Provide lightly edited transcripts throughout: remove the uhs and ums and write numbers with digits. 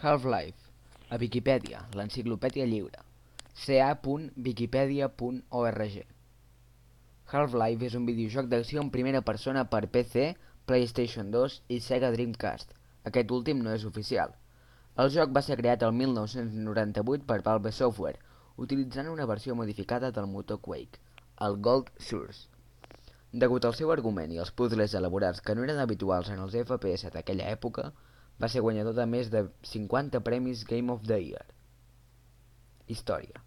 Half-Life, a Viquipèdia, l'enciclopèdia lliure, ca.wikipedia.org. Half-Life és un videojoc d'acció en primera persona per PC, PlayStation 2 i Sega Dreamcast. Aquest últim no és oficial. El joc va ser creat el 1998 per Valve Software, utilitzant una versió modificada del motor Quake, el Gold Source. Degut al seu argument i als puzzles elaborats que no eren habituals en els FPS d'aquella època, va ser guanyador de més de 50 premis Game of the Year. Història.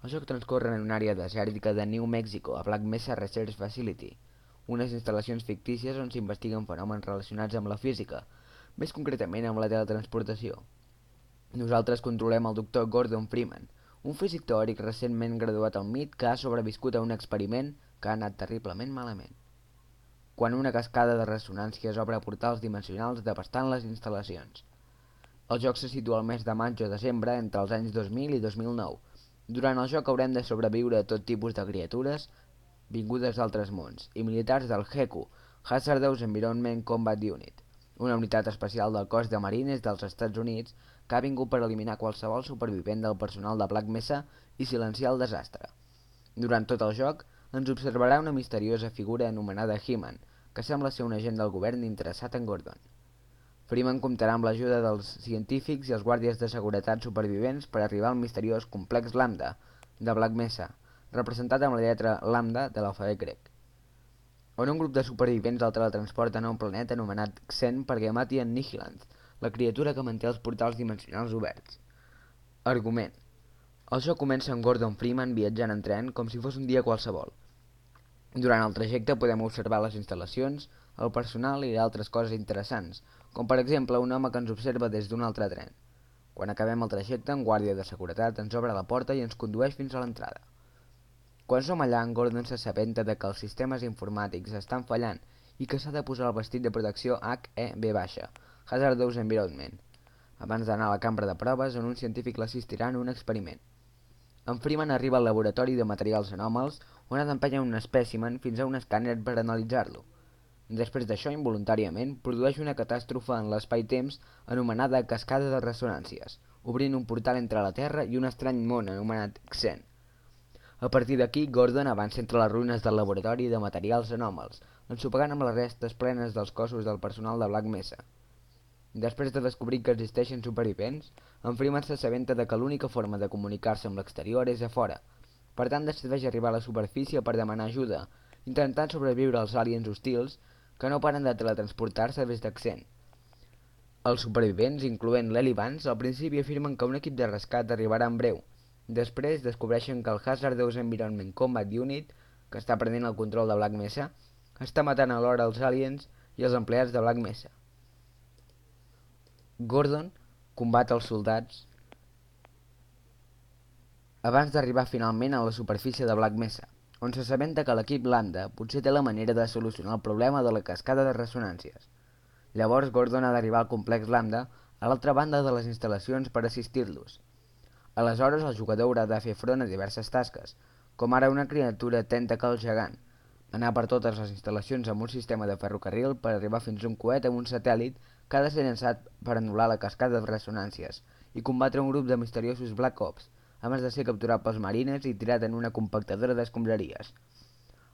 El joc transcorre en una àrea desèrtica de New Mexico, a Black Mesa Research Facility, unes instal·lacions fictícies on s'investiguen fenòmens relacionats amb la física, més concretament amb la teletransportació. Nosaltres controlem el Dr. Gordon Freeman, un físic teòric recentment graduat al MIT que ha sobreviscut a un experiment que ha anat terriblement malament. Quan una cascada de ressonàncies obre portals dimensionals devastant les instal·lacions. El joc se situa al mes de maig o desembre entre els anys 2000 i 2009. Durant el joc haurem de sobreviure a tot tipus de criatures vingudes d'altres mons i militars del HECU, Hazardous Environment Combat Unit, una unitat especial del cos de marines dels Estats Units que ha vingut per eliminar qualsevol supervivent del personal de Black Mesa i silenciar el desastre. Durant tot el joc, ens observarà una misteriosa figura anomenada He-Man, que sembla ser un agent del govern interessat en Gordon. Freeman comptarà amb l'ajuda dels científics i els guàrdies de seguretat supervivents per arribar al misteriós complex Lambda de Black Mesa, representat amb la lletra Lambda de l'alfabet grec, on un grup de supervivents el teletransporten a un planeta anomenat Xen perquè mati en Nihilant, la criatura que manté els portals dimensionals oberts. Argument. El joc comença amb Gordon Freeman viatjant en tren com si fos un dia qualsevol. Durant el trajecte podem observar les instal·lacions, el personal i altres coses interessants, com per exemple un home que ens observa des d'un altre tren. Quan acabem el trajecte, un guàrdia de seguretat ens obre la porta i ens condueix fins a l'entrada. Quan som allà, en Gordon s'assabenta de que els sistemes informàtics estan fallant i que s'ha de posar el vestit de protecció HEV, Hazardous Environment, abans d'anar a la cambra de proves on un científic l'assistirà en un experiment. En Freeman arriba al laboratori de materials anòmals on ha d'empènyer un espècimen fins a un escàner per analitzar-lo. Després d'això, involuntàriament, produeix una catàstrofe en l'espai-temps anomenada cascada de ressonàncies, obrint un portal entre la Terra i un estrany món anomenat Xen. A partir d'aquí, Gordon avança entre les ruïnes del laboratori de materials anòmals, ensopegant amb les restes plenes dels cossos del personal de Black Mesa. Després de descobrir que existeixen supervivents, en Freeman s'assabenta de que l'única forma de comunicar-se amb l'exterior és a fora. Per tant, decideix arribar a la superfície per demanar ajuda, intentant sobreviure als aliens hostils que no paren de teletransportar-se des de Xen. Els supervivents, incloent l'Eli Vance, al principi afirmen que un equip de rescat arribarà en breu. Després descobreixen que el Hazardous Environment Combat Unit, que està prenent el control de Black Mesa, està matant alhora els aliens i els empleats de Black Mesa. Gordon combat els soldats abans d'arribar finalment a la superfície de Black Mesa, on s'assabenta que l'equip Lambda potser té la manera de solucionar el problema de la cascada de ressonàncies. Llavors Gordon ha d'arribar al complex Lambda a l'altra banda de les instal·lacions per assistir-los. Aleshores el jugador haurà de fer front a diverses tasques, com ara una criatura tentacle gegant, anar per totes les instal·lacions amb un sistema de ferrocarril per arribar fins a un coet amb un satèl·lit que ha de ser llançat per anul·lar la cascada de ressonàncies i combatre un grup de misteriosos Black Ops, abans de ser capturat pels marines i tirat en una compactadora d'escombraries.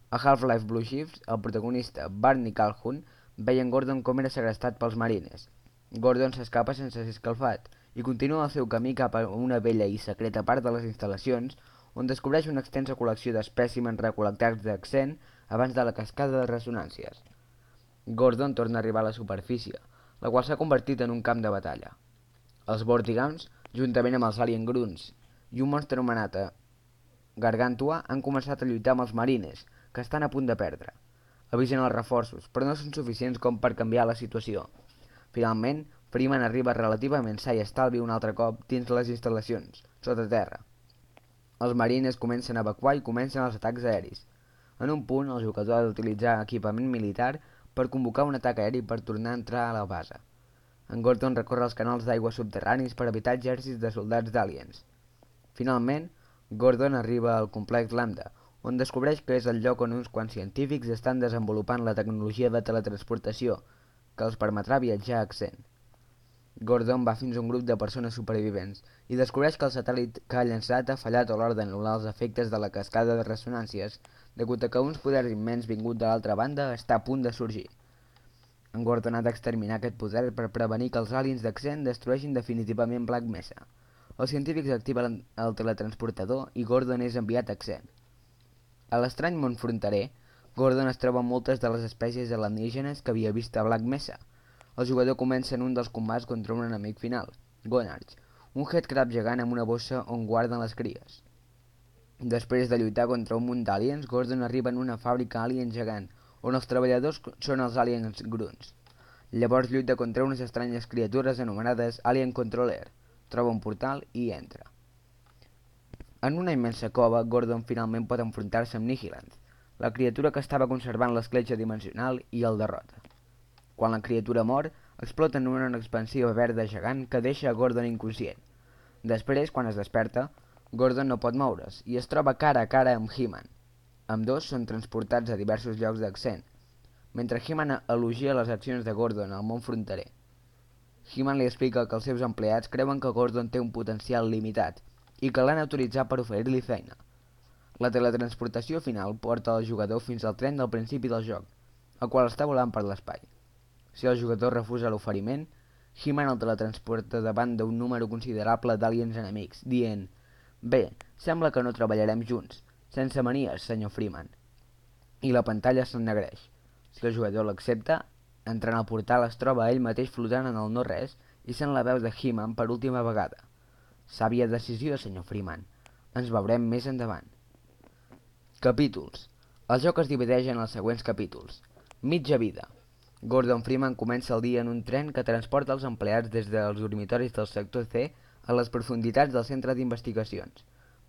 A Half-Life Blue Shifts, el protagonista Barney Calhoun veia en Gordon com era segrestat pels marines. Gordon s'escapa sense ser escalfat i continua el seu camí cap a una vella i secreta part de les instal·lacions on descobreix una extensa col·lecció d'espècimens recol·lectats de Xen abans de la cascada de ressonàncies. Gordon torna a arribar a la superfície, la qual s'ha convertit en un camp de batalla. Els Vortigaunts, juntament amb els Alien Grunts i un monstre anomenat Gargantua, han començat a lluitar amb els marines, que estan a punt de perdre. Avisen els reforços, però no són suficients com per canviar la situació. Finalment, Freeman arriba relativament sa i estalvi un altre cop dins les instal·lacions, sota terra. Els marines comencen a evacuar i comencen els atacs aeris. En un punt, el jugador ha d'utilitzar equipament militar per convocar un atac aeri per tornar a entrar a la base. En Gordon recorre els canals d'aigua subterranis per evitar exèrcits de soldats d'aliens. Finalment, Gordon arriba al complex Lambda, on descobreix que és el lloc on uns quants científics estan desenvolupant la tecnologia de teletransportació, que els permetrà viatjar a Xen. Gordon va fins a un grup de persones supervivents i descobreix que el satèl·lit que ha llançat ha fallat a l'hora d'anul·lar els efectes de la cascada de ressonàncies degut a que uns poders immens vingut de l'altra banda està a punt de sorgir. En Gordon ha d'exterminar aquest poder per prevenir que els aliens d'Accent destrueixin definitivament Black Mesa. Els científics activen el teletransportador i Gordon és enviat a Accent. A l'estrany món fronterer, Gordon es troba amb moltes de les espècies alienígenes que havia vist a Black Mesa. El jugador comença en un dels combats contra un enemic final, Gonarch, un headcrab gegant amb una bossa on guarden les cries. Després de lluitar contra un munt d'aliens, Gordon arriba en una fàbrica alien gegant, on els treballadors són els aliens grunts. Llavors lluita contra unes estranyes criatures anomenades Alien Controller, troba un portal i entra. En una immensa cova, Gordon finalment pot enfrontar-se amb Nihilant, la criatura que estava conservant l'escletxa dimensional, i el derrota. Quan la criatura mor, explota en una expansiva verda gegant que deixa a Gordon inconscient. Després, quan es desperta, Gordon no pot moure's i es troba cara a cara amb He-Man. Ambdós són transportats a diversos llocs d'Accent, mentre He-Man elogia les accions de Gordon al món fronterer. He-Man li explica que els seus empleats creuen que Gordon té un potencial limitat i que l'han autoritzat per oferir-li feina. La teletransportació final porta el jugador fins al tren del principi del joc, el qual està volant per l'espai. Si el jugador refusa l'oferiment, He-Man el teletransporta davant d'un número considerable d'aliens enemics, dient: «Bé, sembla que no treballarem junts, sense manies, senyor Freeman». I la pantalla s'ennegreix. Si el jugador l'accepta, entrant al portal es troba ell mateix flotant en el no-res i sent la veu de He-Man per última vegada. «Sàvia decisió, senyor Freeman. Ens veurem més endavant». Capítols. El joc es divideix en els següents capítols. Mitja vida. Gordon Freeman comença el dia en un tren que transporta els empleats des dels dormitoris del sector C a les profunditats del centre d'investigacions.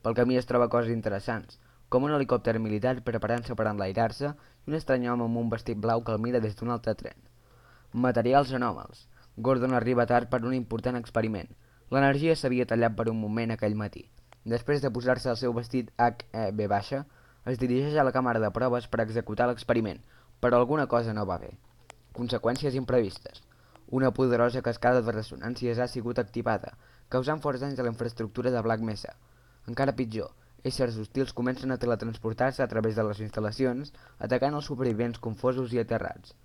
Pel camí es troba coses interessants, com un helicòpter militar preparant-se per enlairar-se i un estrany home amb un vestit blau que el mira des d'un altre tren. Materials anòmals. Gordon arriba tard per un important experiment. L'energia s'havia tallat per un moment aquell matí. Després de posar-se el seu vestit HEV baixa, es dirigeix a la càmera de proves per executar l'experiment, però alguna cosa no va bé. Conseqüències imprevistes. Una poderosa cascada de ressonàncies ha sigut activada, causant forts danys a la infraestructura de Black Mesa. Encara pitjor, éssers hostils comencen a teletransportar-se a través de les instal·lacions, atacant els supervivents confosos i aterrats.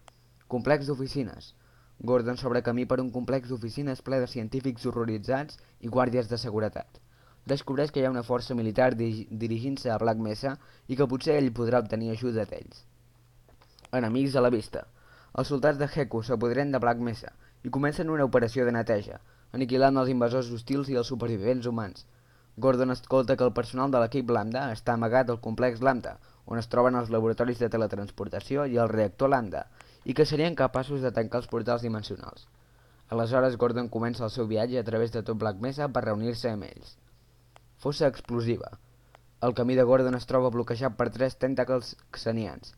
Complex d'oficines. Gordon s'obre camí per un complex d'oficines ple de científics horroritzats i guàrdies de seguretat. Descobreix que hi ha una força militar dirigint-se a Black Mesa i que potser ell podrà obtenir ajuda d'ells. Enemics a la vista. Els soldats de Heku s'apoderen de Black Mesa i comencen una operació de neteja, aniquilant els invasors hostils i els supervivents humans. Gordon escolta que el personal de l'equip Lambda està amagat al complex Lambda, on es troben els laboratoris de teletransportació i el reactor Lambda, i que serien capaços de tancar els portals dimensionals. Aleshores, Gordon comença el seu viatge a través de tot Black Mesa per reunir-se amb ells. Fossa explosiva. El camí de Gordon es troba bloquejat per 3 tentacles xenians.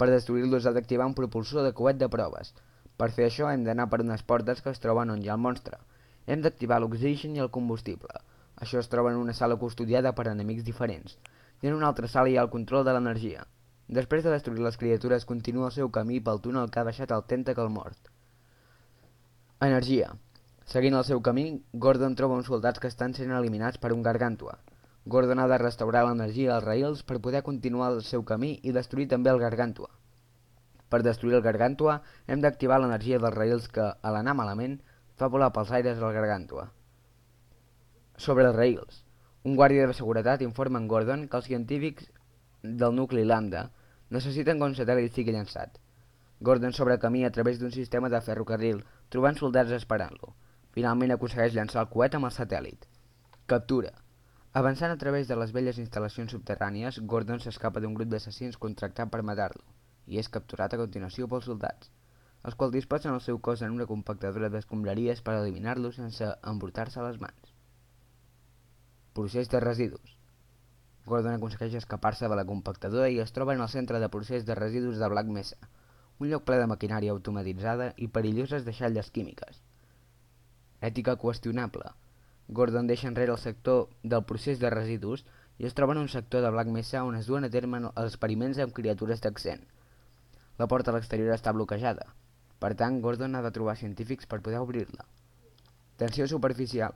Per destruir-los ha d'activar un propulsor de coet de proves. Per fer això hem d'anar per unes portes que es troben on hi ha el monstre. Hem d'activar l'oxigen i el combustible. Això es troba en una sala custodiada per enemics diferents. I en una altra sala hi ha el control de l'energia. Després de destruir les criatures continua el seu camí pel túnel que ha deixat el tentacle mort. Energia. Seguint el seu camí, Gordon troba uns soldats que estan sent eliminats per un gargàntua. Gordon ha de restaurar l'energia als rails per poder continuar el seu camí i destruir també el gargàntua. Per destruir el gargàntua, hem d'activar l'energia dels rails que, a l'anar malament, fa volar pels aires el gargàntua. Sobre els rails. Un guàrdia de seguretat informa en Gordon que els científics del nucli Lambda necessiten que un satèl·lit sigui llançat. Gordon s'obre camí a través d'un sistema de ferrocarril, trobant soldats esperant-lo. Finalment aconsegueix llançar el coet amb el satèl·lit. Captura. Avançant a través de les velles instal·lacions subterrànies, Gordon s'escapa d'un grup d'assassins contractat per matar-lo, i és capturat a continuació pels soldats, els quals disposen el seu cos en una compactadora d'escombraries per eliminar-lo sense embrutar-se les mans. Procés de residus. Gordon aconsegueix escapar-se de la compactadora i es troba en el centre de procés de residus de Black Mesa, un lloc ple de maquinària automatitzada i perilloses deixalles químiques. Ètica qüestionable. Gordon deixa enrere el sector del procés de residus i es troba en un sector de Black Mesa on es duen a terme els experiments amb criatures d'Accent. La porta a l'exterior està bloquejada. Per tant, Gordon ha de trobar científics per poder obrir-la. Tensió superficial.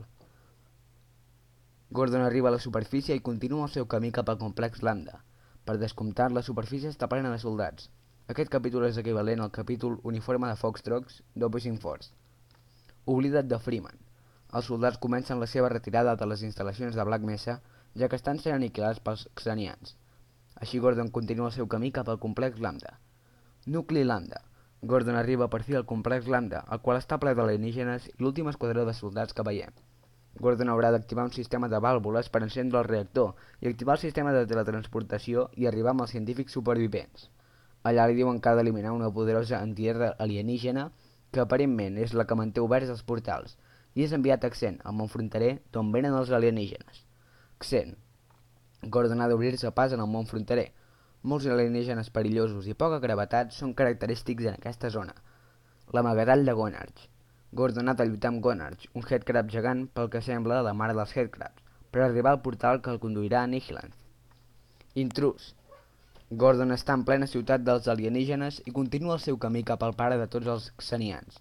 Gordon arriba a la superfície i continua el seu camí cap al complex Lambda. Per descomptat, la superfície està plena de soldats. Aquest capítol és equivalent al capítol Uniforme de Foxtrots d'Opposing Force. Oblida't de Freeman. Els soldats comencen la seva retirada de les instal·lacions de Black Mesa, ja que estan sent aniquilats pels xenians. Així Gordon continua el seu camí cap al complex Lambda. Nucli Lambda. Gordon arriba per fi al complex Lambda, el qual està ple d'alienígenes i l'últim esquadró de soldats que veiem. Gordon haurà d'activar un sistema de vàlvules per encendre el reactor i activar el sistema de teletransportació i arribar amb els científics supervivents. Allà li diuen que ha d'eliminar una poderosa antiguerra alienígena que aparentment és la que manté oberts els portals, i és enviat a Xen, el món fronterer, d'on venen els alienígenes. Xen. Gordon ha d'obrir-se pas en el món fronterer. Molts alienígenes perillosos i poca gravetat són característics en aquesta zona. L'amagatall de Gonarch. Gordon ha de lluitar amb Gonarch, un headcrab gegant pel que sembla la mare dels headcrabs, per arribar al portal que el conduirà a Nihilanth. Intrus. Gordon està en plena ciutat dels alienígenes i continua el seu camí cap al pare de tots els xenians.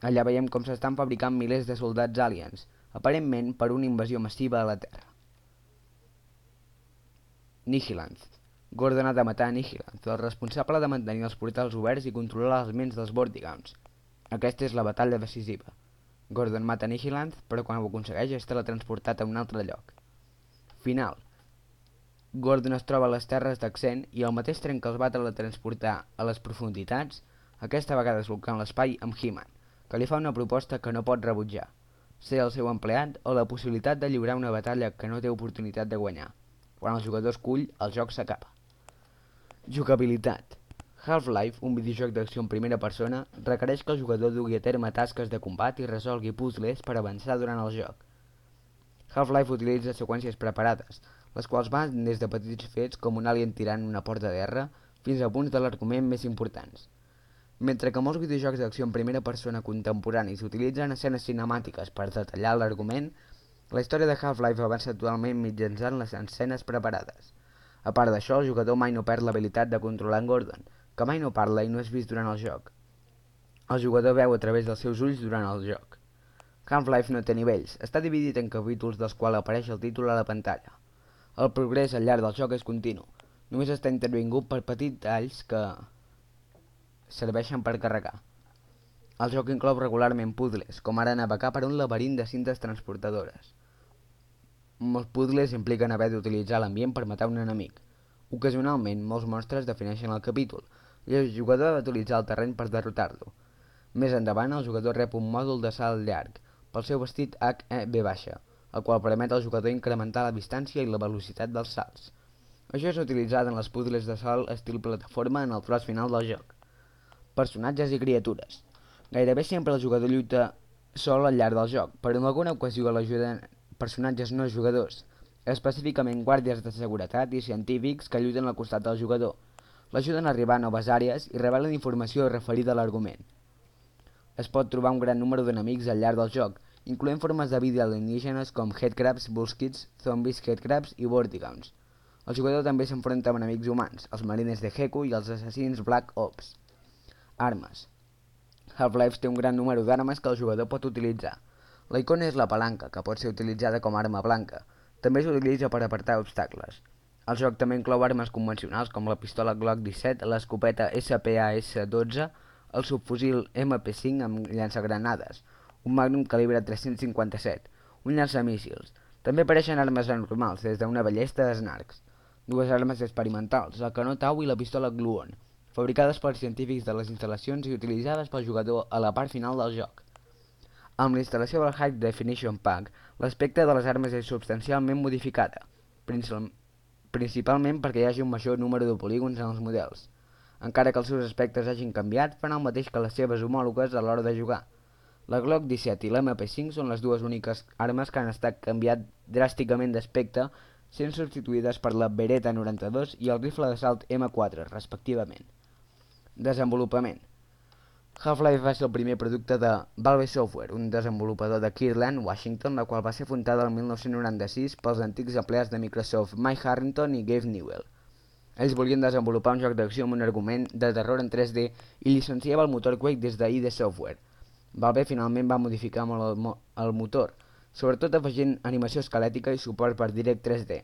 Allà veiem com s'estan fabricant milers de soldats aliens, aparentment per una invasió massiva a la Terra. Nihilanth. Gordon ha de matar a Nihilanth, el responsable de mantenir els portals oberts i controlar les ments dels Vortigauns. Aquesta és la batalla decisiva. Gordon mata Nihilanth, però quan ho aconsegueix és teletransportat a un altre lloc. Final. Gordon es troba a les terres d'Axen i al mateix tren que els va teletransportar a les profunditats, aquesta vegada solcant l'espai amb He-Man, que li fa una proposta que no pot rebutjar, ser el seu empleat o la possibilitat de lliurar una batalla que no té oportunitat de guanyar. Quan el jugador escull, el joc s'acaba. Jugabilitat. Half-Life, un videojoc d'acció en primera persona, requereix que el jugador dugui a terme tasques de combat i resolgui puzzles per avançar durant el joc. Half-Life utilitza seqüències preparades, les quals van des de petits fets com un alien tirant una porta de guerra fins a punts de l'argument més importants. Mentre que molts videojocs d'acció en primera persona contemporanis utilitzen escenes cinemàtiques per detallar l'argument, la història de Half-Life avança totalment mitjançant les escenes preparades. A part d'això, el jugador mai no perd l'habilitat de controlar en Gordon, que mai no parla i no és vist durant el joc. El jugador veu a través dels seus ulls durant el joc. Half-Life no té nivells, està dividit en capítols dels quals apareix el títol a la pantalla. El progrés al llarg del joc és continu, només està intervingut per petits talls que serveixen per carregar. El joc inclou regularment puzzles, com ara navegar per un laberint de cintes transportadores. Molts puzzles impliquen haver d'utilitzar l'ambient per matar un enemic. Ocasionalment, molts monstres defineixen el capítol, i el jugador ha d'utilitzar el terreny per derrotar-lo. Més endavant, el jugador rep un mòdul de salt llarg, pel seu vestit HEV baixa, el qual permet al jugador incrementar la distància i la velocitat dels salts. Això és utilitzat en les puzzles de salt estil plataforma en el tros final del joc. Personatges i criatures. Gairebé sempre el jugador lluita sol al llarg del joc, però en alguna ocasió l'ajuden personatges no jugadors, específicament guàrdies de seguretat i científics que lluiten al costat del jugador. L'ajuden a arribar a noves àrees i revelen informació referida a l'argument. Es pot trobar un gran número d'enemics al llarg del joc, incloent formes de vida alienígenes com headcrabs, bullskids, zombies, headcrabs i vortigauns. El jugador també s'enfronta amb enemics humans, els marines de Heku i els assassins Black Ops. Armes. Half-Life té un gran número d'armes que el jugador pot utilitzar. La icona és la palanca, que pot ser utilitzada com a arma blanca. També s'utilitza per apartar obstacles. El joc també inclou armes convencionals com la pistola Glock 17, l'escopeta SPAS-12, el subfusil MP5 amb llançagranades, un Magnum calibre 357, un llançamíssils. També apareixen armes anormals, des d'una ballesta a snarks. Dues armes experimentals, el canó Tau i la pistola Gluon, fabricades per científics de les instal·lacions i utilitzades pel jugador a la part final del joc. Amb la instal·lació del High Definition Pack, l'aspecte de les armes és substancialment modificada, principalment perquè hi hagi un major número de polígons en els models. Encara que els seus aspectes hagin canviat, fan el mateix que les seves homòlogues a l'hora de jugar. La Glock 17 i l'MP5 són les dues úniques armes que han estat canviat dràsticament d'aspecte, sent substituïdes per la Beretta 92 i el rifle d'assalt M4, respectivament. Desenvolupament. Half-Life va ser el primer producte de Valve Software, un desenvolupador de Kirtland, Washington, la qual va ser fundada el 1996 pels antics empleats de Microsoft Mike Harrington i Gabe Newell. Ells volien desenvolupar un joc d'acció amb un argument de terror en 3D i llicenciava el motor Quake des de ID Software. Valve finalment va modificar molt el motor, sobretot afegint animació esquelètica i suport per Direct 3D.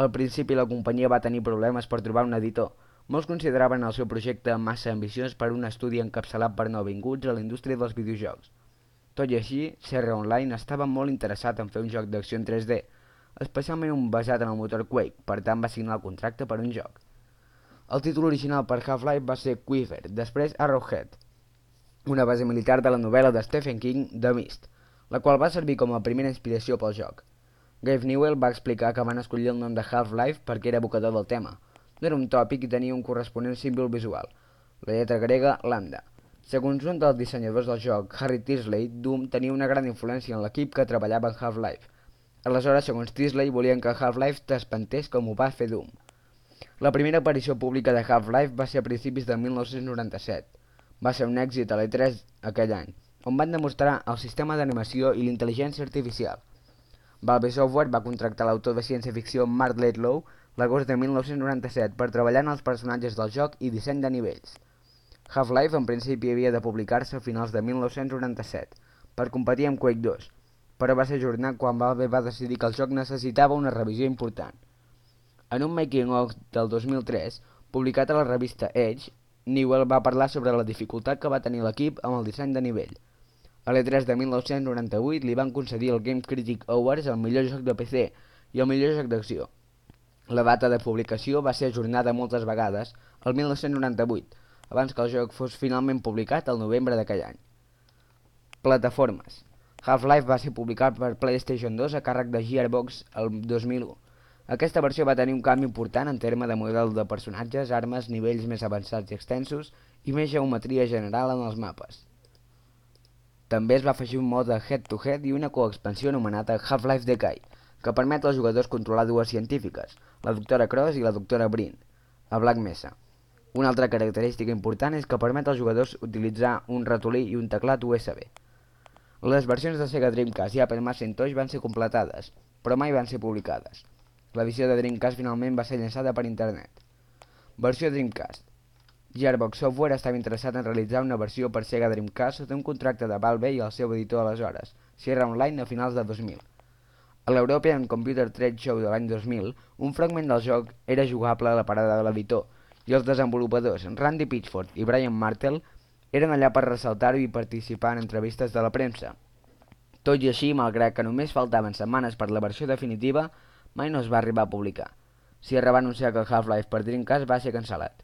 Al principi la companyia va tenir problemes per trobar un editor. Molts consideraven el seu projecte massa ambiciós per un estudi encapçalat per nouvinguts a la indústria dels videojocs. Tot i així, Sierra Online estava molt interessat en fer un joc d'acció en 3D, especialment un basat en el motor Quake, per tant va signar el contracte per un joc. El títol original per Half-Life va ser Quiver, després Arrowhead, una base militar de la novel·la de Stephen King, The Mist, la qual va servir com a primera inspiració pel joc. Gabe Newell va explicar que van escollir el nom de Half-Life perquè era evocador del tema. No era un tòpic i tenia un corresponent símbol visual, la lletra grega lambda. Segons un dels dissenyadors del joc, Harry Tisley, Doom tenia una gran influència en l'equip que treballava en Half-Life. Aleshores, segons Tisley, volien que Half-Life t'espantés com ho va fer Doom. La primera aparició pública de Half-Life va ser a principis de 1997. Va ser un èxit a l'E3 aquell any, on van demostrar el sistema d'animació i l'intel·ligència artificial. Valve Software va contractar l'autor de ciència-ficció Mark Ledlow l'agost de 1997 per treballar en els personatges del joc i disseny de nivells. Half-Life en principi havia de publicar-se a finals de 1997 per competir amb Quake 2, però va ser ajornat quan Valve va decidir que el joc necessitava una revisió important. En un making-of del 2003, publicat a la revista Edge, Newell va parlar sobre la dificultat que va tenir l'equip amb el disseny de nivell. A l'E3 de 1998 li van concedir el Game Critic Awards al millor joc de PC i el millor joc d'acció. La data de publicació va ser ajornada moltes vegades al 1998, abans que el joc fos finalment publicat al novembre d'aquell any. Plataformes. Half-Life va ser publicat per PlayStation 2 a càrrec de Gearbox el 2001. Aquesta versió va tenir un canvi important en termes de model de personatges, armes, nivells més avançats i extensos i més geometria general en els mapes. També es va afegir un mode head-to-head i una coexpansió anomenada Half-Life Decay, que permet als jugadors controlar dues científiques, la doctora Cross i la doctora Brin, a Black Mesa. Una altra característica important és que permet als jugadors utilitzar un ratolí i un teclat USB. Les versions de Sega Dreamcast i Apple Macintosh van ser completades, però mai van ser publicades. L'edició de Dreamcast finalment va ser llançada per internet. Versió Dreamcast. Gearbox Software estava interessat en realitzar una versió per Sega Dreamcast sota un contracte de Valve i el seu editor aleshores, Sierra Online, a finals de 2000. A l'European Computer Trade Show de l'any 2000, un fragment del joc era jugable a la parada de l'editor, i els desenvolupadors Randy Pitchford i Brian Martell eren allà per ressaltar-ho i participar en entrevistes de la premsa. Tot i així, malgrat que només faltaven setmanes per la versió definitiva, mai no es va arribar a publicar. Sierra va anunciar que Half-Life per Dreamcast va ser cancel·lat.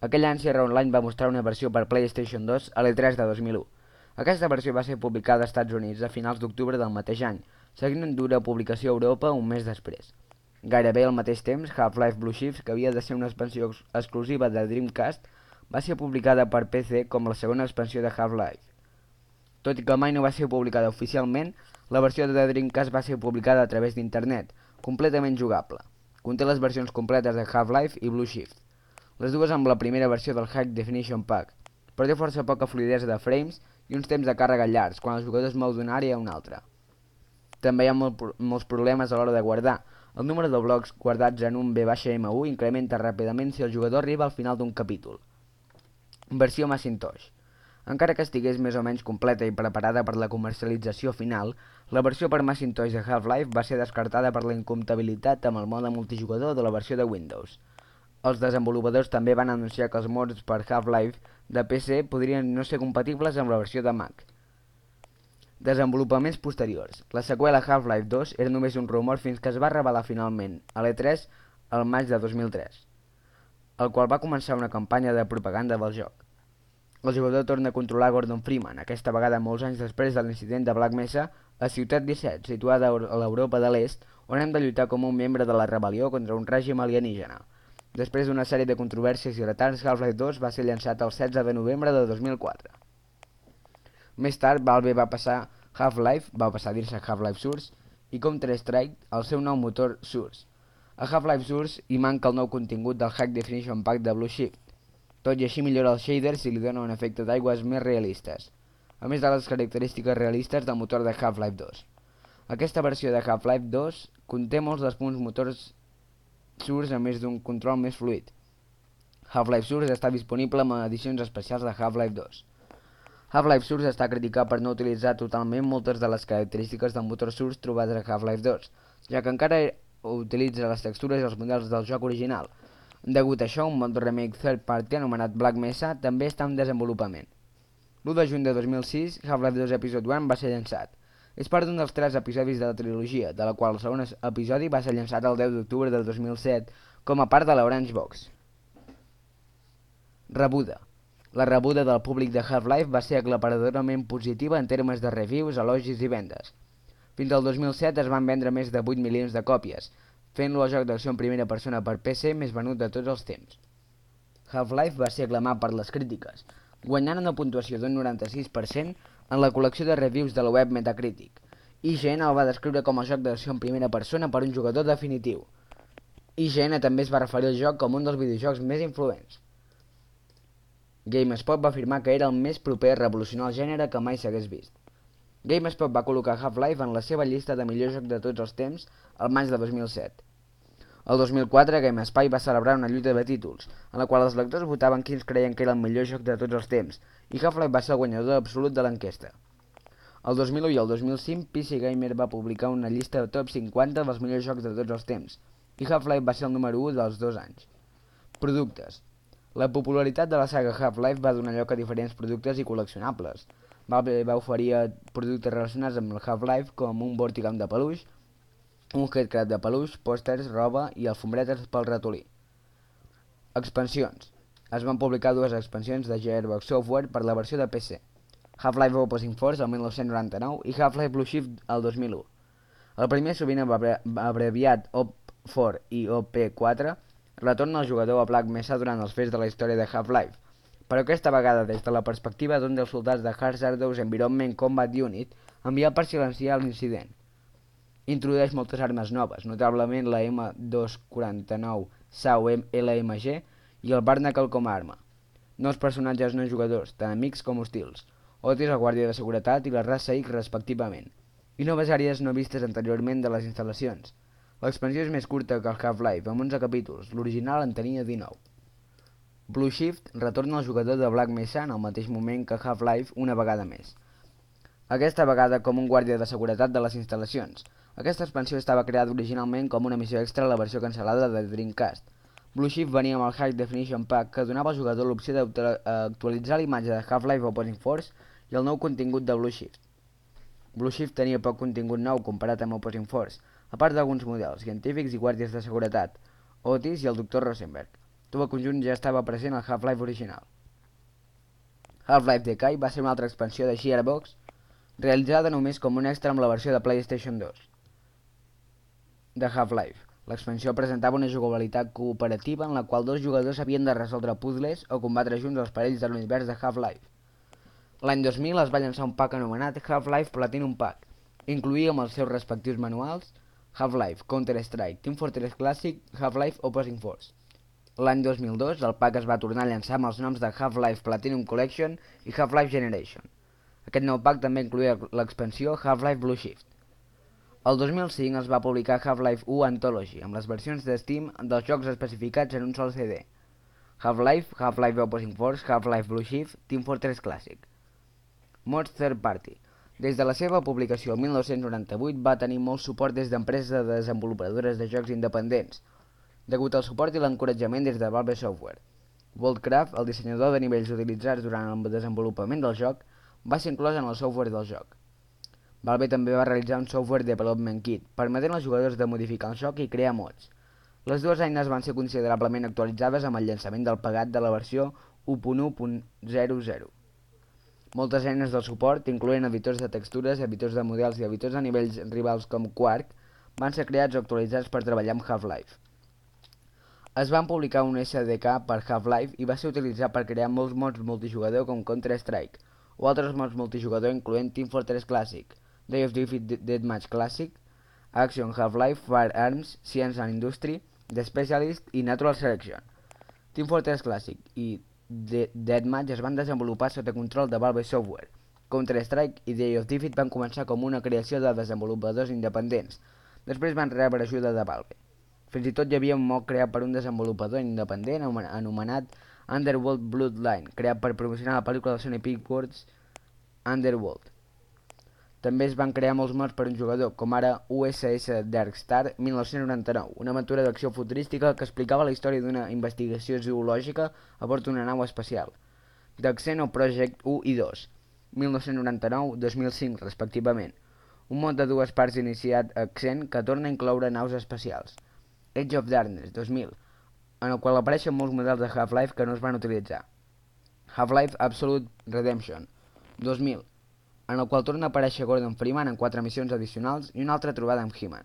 Aquell any Sierra Online va mostrar una versió per PlayStation 2 a l'E3 de 2001. Aquesta versió va ser publicada als Estats Units a finals d'octubre del mateix any, seguint en dura publicació a Europa un mes després. Gairebé al mateix temps, Half-Life Blue Shift, que havia de ser una expansió exclusiva de Dreamcast, va ser publicada per PC com la segona expansió de Half-Life. Tot i que mai no va ser publicada oficialment, la versió de Dreamcast va ser publicada a través d'internet, completament jugable. Conté les versions completes de Half-Life i Blue Shift, les dues amb la primera versió del High Definition Pack, però té força poca fluïdesa de frames i uns temps de càrrega llargs quan el jugador es mou d'una àrea a una altra. També hi ha molts problemes a l'hora de guardar. El número de blocs guardats en un V-M1 incrementa ràpidament si el jugador arriba al final d'un capítol. Versió Macintosh. Encara que estigués més o menys completa i preparada per la comercialització final, la versió per Macintosh de Half-Life va ser descartada per la incompatibilitat amb el mode multijugador de la versió de Windows. Els desenvolupadors també van anunciar que els mods per Half-Life de PC podrien no ser compatibles amb la versió de Mac. Desenvolupaments posteriors. La seqüela Half-Life 2 era només un rumor fins que es va revelar finalment a l'E3 al maig de 2003, el qual va començar una campanya de propaganda del joc. El jugador torna a controlar Gordon Freeman, aquesta vegada molts anys després de l'incident de Black Mesa a Ciutat 17, situada a l'Europa de l'Est, on hem de lluitar com un membre de la rebel·lió contra un règim alienígena. Després d'una sèrie de controvèrsies i retards, Half-Life 2 va ser llançat el 16 de novembre de 2004. Més tard, Valve va passar a dir-se Half-Life Source i Counter-Strike al seu nou motor Source. A Half-Life Source hi manca el nou contingut del High Definition Pack de Blue Shift. Tot i així millora els shaders i li dona un efecte d'aigües més realistes, a més de les característiques realistes del motor de Half-Life 2. Aquesta versió de Half-Life 2 conté molts dels punts motors Source a més d'un control més fluid. Half-Life Source està disponible amb edicions especials de Half-Life 2. Half-Life Source està criticat per no utilitzar totalment moltes de les característiques del motor Source trobades a Half-Life 2, ja que encara utilitza les textures i els models del joc original. Degut a això, un mod remake third party anomenat Black Mesa també està en desenvolupament. L'1 de juny de 2006, Half-Life 2 Episode 1 va ser llançat. És part d'un dels 3 episodis de la trilogia, de la qual el segon episodi va ser llançat el 10 d'octubre del 2007 com a part de l'Orange Box. Rebuda. La rebuda del públic de Half-Life va ser aclaparadorament positiva en termes de reviews, elogis i vendes. Fins al 2007 es van vendre més de 8 milions de còpies, fent-lo el joc d'acció en primera persona per PC més venut de tots els temps. Half-Life va ser aclamat per les crítiques, guanyant una puntuació d'un 96% en la col·lecció de reviews de la web Metacritic. IGN el va descriure com a joc d'acció en primera persona per un jugador definitiu. IGN també es va referir al joc com un dels videojocs més influents. GameSpot va afirmar que era el més proper a revolucionar el gènere que mai s'hagués vist. GameSpot va col·locar Half-Life en la seva llista de millors jocs de tots els temps al maig de 2007. El 2004, GameSpy va celebrar una lluita de títols, en la qual els lectors votaven quins creien que era el millor joc de tots els temps, i Half-Life va ser el guanyador absolut de l'enquesta. El 2001 i el 2005, PC Gamer va publicar una llista de top 50 dels millors jocs de tots els temps, i Half-Life va ser el número 1 dels 2 anys. Productes. La popularitat de la saga Half-Life va donar lloc a diferents productes i col·leccionables. Valve va oferir productes relacionats amb el Half-Life com un Vortigam de peluix, un Headcrab de peluix, pòsters, roba i alfombretes pel ratolí. Expansions. Es van publicar 2 expansions de Gearbox Software per la versió de PC. Half-Life Opposing Force el 1999 i Half-Life Blue Shift el 2001. El primer, sovint abreviat OP4 i OP4, retorna el jugador a Black Mesa durant els fets de la història de Half-Life, però aquesta vegada des de la perspectiva d'un dels soldats de Hazardous Environment Combat Unit enviat per silenciar l'incident. Introdueix moltes armes noves, notablement la M249 SAU LMG i el Barnacle com a arma. Nous personatges no jugadors, tant amics com hostils, Otis, el guàrdia de seguretat i la raça X respectivament, i noves àrees no vistes anteriorment de les instal·lacions. L'expansió és més curta que el Half-Life, amb 11 capítols, l'original en tenia 19. Blue Shift retorna al jugador de Black Mesa en el mateix moment que Half-Life una vegada més. Aquesta vegada com un guàrdia de seguretat de les instal·lacions. Aquesta expansió estava creada originalment com una missió extra a la versió cancel·lada de Dreamcast. Blue Shift venia amb el High Definition Pack que donava al jugador l'opció d'actualitzar l'imatge de Half-Life Opposing Force i el nou contingut de Blue Shift. Blue Shift tenia poc contingut nou comparat amb Opposing Force, a part d'alguns models, científics i guàrdies de seguretat, Otis i el Dr. Rosenberg. Tot el conjunt ja estava present al Half-Life original. Half-Life Decay va ser una altra expansió de Gearbox, realitzada només com un extra amb la versió de PlayStation 2 de Half-Life. L'expansió presentava una jugabilitat cooperativa en la qual 2 jugadors havien de resoldre puzzles o combatre junts els perills de l'univers de Half-Life. L'any 2000 es va llançar un pack anomenat Half-Life Platinum Pack. Incloïa amb els seus respectius manuals Half-Life, Counter-Strike, Team Fortress Classic, Half-Life Opposing Force. L'any 2002 el pack es va tornar a llançar amb els noms de Half-Life Platinum Collection i Half-Life Generation. Aquest nou pack també incloïa l'expansió Half-Life Blue Shift. El 2005 es va publicar Half-Life 1 Anthology, amb les versions de Steam dels jocs especificats en un sol CD. Half-Life, Half-Life Opposing Force, Half-Life Blue Shift, Team Fortress Classic. Mods Third Party. Des de la seva publicació el 1998 va tenir molt suport des d'empreses de desenvolupadores de jocs independents, degut al suport i l'encoratjament des de Valve Software. Worldcraft, el dissenyador de nivells utilitzats durant el desenvolupament del joc, va ser inclòs en el software del joc. Valve també va realitzar un Software Development Kit, permetent als jugadors de modificar el joc i crear mods. Les dues eines van ser considerablement actualitzades amb el llançament del pagat de la versió 1.1.00. Moltes eines del suport, incloent editors de textures, editors de models i editors de nivells rivals com Quark, van ser creats o actualitzats per treballar amb Half-Life. Es van publicar un SDK per Half-Life i va ser utilitzat per crear molts mods multijugador com Counter-Strike, o altres mods multijugador incloent Team Fortress Classic, Day of Defeat Deathmatch Classic, Action Half-Life, Firearms, Science and Industry, The Specialist i Natural Selection. Team Fortress Classic i Deathmatch es van desenvolupar sota control de Valve Software. Counter-Strike i Day of Defeat van començar com una creació de desenvolupadors independents, després van rebre ajuda de Valve. Fins i tot hi havia un mod creat per un desenvolupador independent anomenat Underworld Bloodline, creat per promocionar la pel·lícula de Sony Pictures Underworld. També es van crear molts mods per un jugador, com ara USS Darkstar 1999, una aventura d'acció futurística que explicava la història d'una investigació zoològica a bord d'una nau espacial. The Xenoproject 1 i 2, 1999-2005 respectivament, un mod de dues parts iniciat a Xen que torna a incloure naus espacials. Age of Darkness 2000, en el qual apareixen molts models de Half-Life que no es van utilitzar. Half-Life Absolute Redemption 2000, en el qual torna a aparèixer Gordon Freeman en 4 missions addicionals i una altra trobada amb He-Man.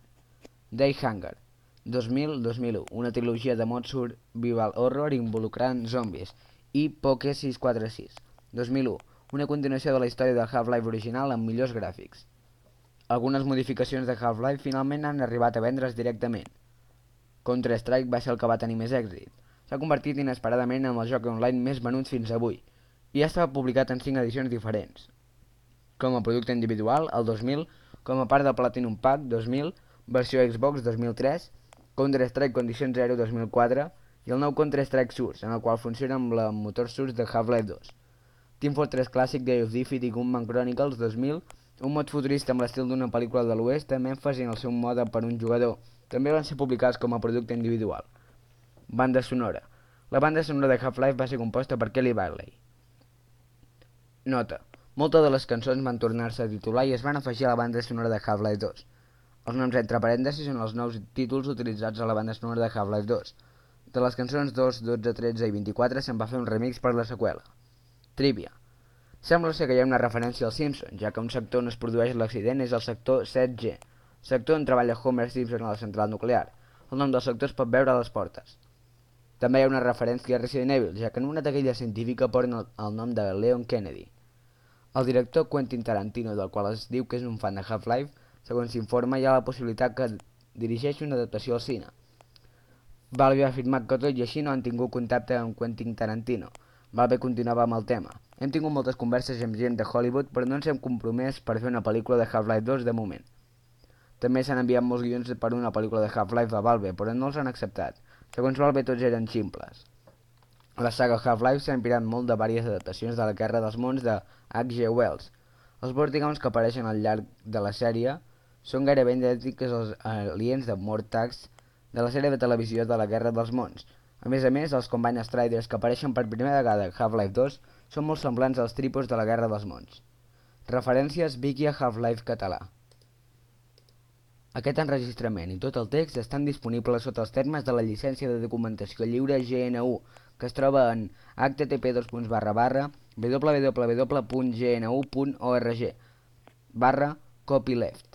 Day Hunger 2000-2001, una trilogia de mods survival horror involucrant zombis, i Poke 646 2001, una continuació de la història del Half-Life original amb millors gràfics. Algunes modificacions de Half-Life finalment han arribat a vendre's directament. Counter-Strike va ser el que va tenir més èxit. S'ha convertit inesperadament en el joc online més venut fins avui, i ja estava publicat en 5 edicions diferents. Com a producte individual, el 2000, com a part del Platinum Pack 2000, versió Xbox 2003, Counter-Strike Condition Zero 2004 i el nou Counter-Strike Source, en el qual funciona amb el motor Source de Half-Life 2. Team Fortress Classic Day of Defeat i Gunman Chronicles 2000, un mod futurista amb l'estil d'una pel·lícula de l'oest amb èmfasi en el seu mode per un jugador. També van ser publicats com a producte individual. Banda sonora. La banda sonora de Half-Life va ser composta per Kelly Bailey. Nota. Moltes de les cançons van tornar-se a titular i es van afegir a la banda sonora de Half-Life 2. Els noms entre parèntesis són els nous títols utilitzats a la banda sonora de Half-Life 2. De les cançons 2, 12, 13 i 24 se'n va fer un remix per la seqüela. Trivia. Sembla ser que hi ha una referència als Simpsons, ja que un sector on es produeix l'accident és el sector 7G, sector on treballa Homer Simpson a la central nuclear. El nom del sector es pot veure a les portes. També hi ha una referència a Resident Evil, ja que en una taquilla científica porten el nom de Leon Kennedy. El director Quentin Tarantino, del qual es diu que és un fan de Half-Life, segons s'informa hi ha la possibilitat que dirigeixi una adaptació al cine. Valve ha afirmat que tot i així no han tingut contacte amb Quentin Tarantino. Valve continuava amb el tema. Hem tingut moltes converses amb gent de Hollywood, però no ens hem compromès per fer una pel·lícula de Half-Life 2 de moment. També s'han enviat molts guions per una pel·lícula de Half-Life a Valve, però no els han acceptat. Segons Valve tots eren ximples. La saga Half-Life s'ha inspirat molt de diverses adaptacions de la Guerra dels Mons de H.G. Wells. Els Vortigaunts que apareixen al llarg de la sèrie són gairebé idèntics als aliens de Mortax de la sèrie de televisió de la Guerra dels Mons. A més, els Combine Striders que apareixen per primera vegada a Half-Life 2 són molt semblants als tripos de la Guerra dels Mons. Referències Wiki a Half-Life català. Aquest enregistrament i tot el text estan disponibles sota els termes de la llicència de documentació lliure GNU, que es troba en http://www.gnu.org/copyleft.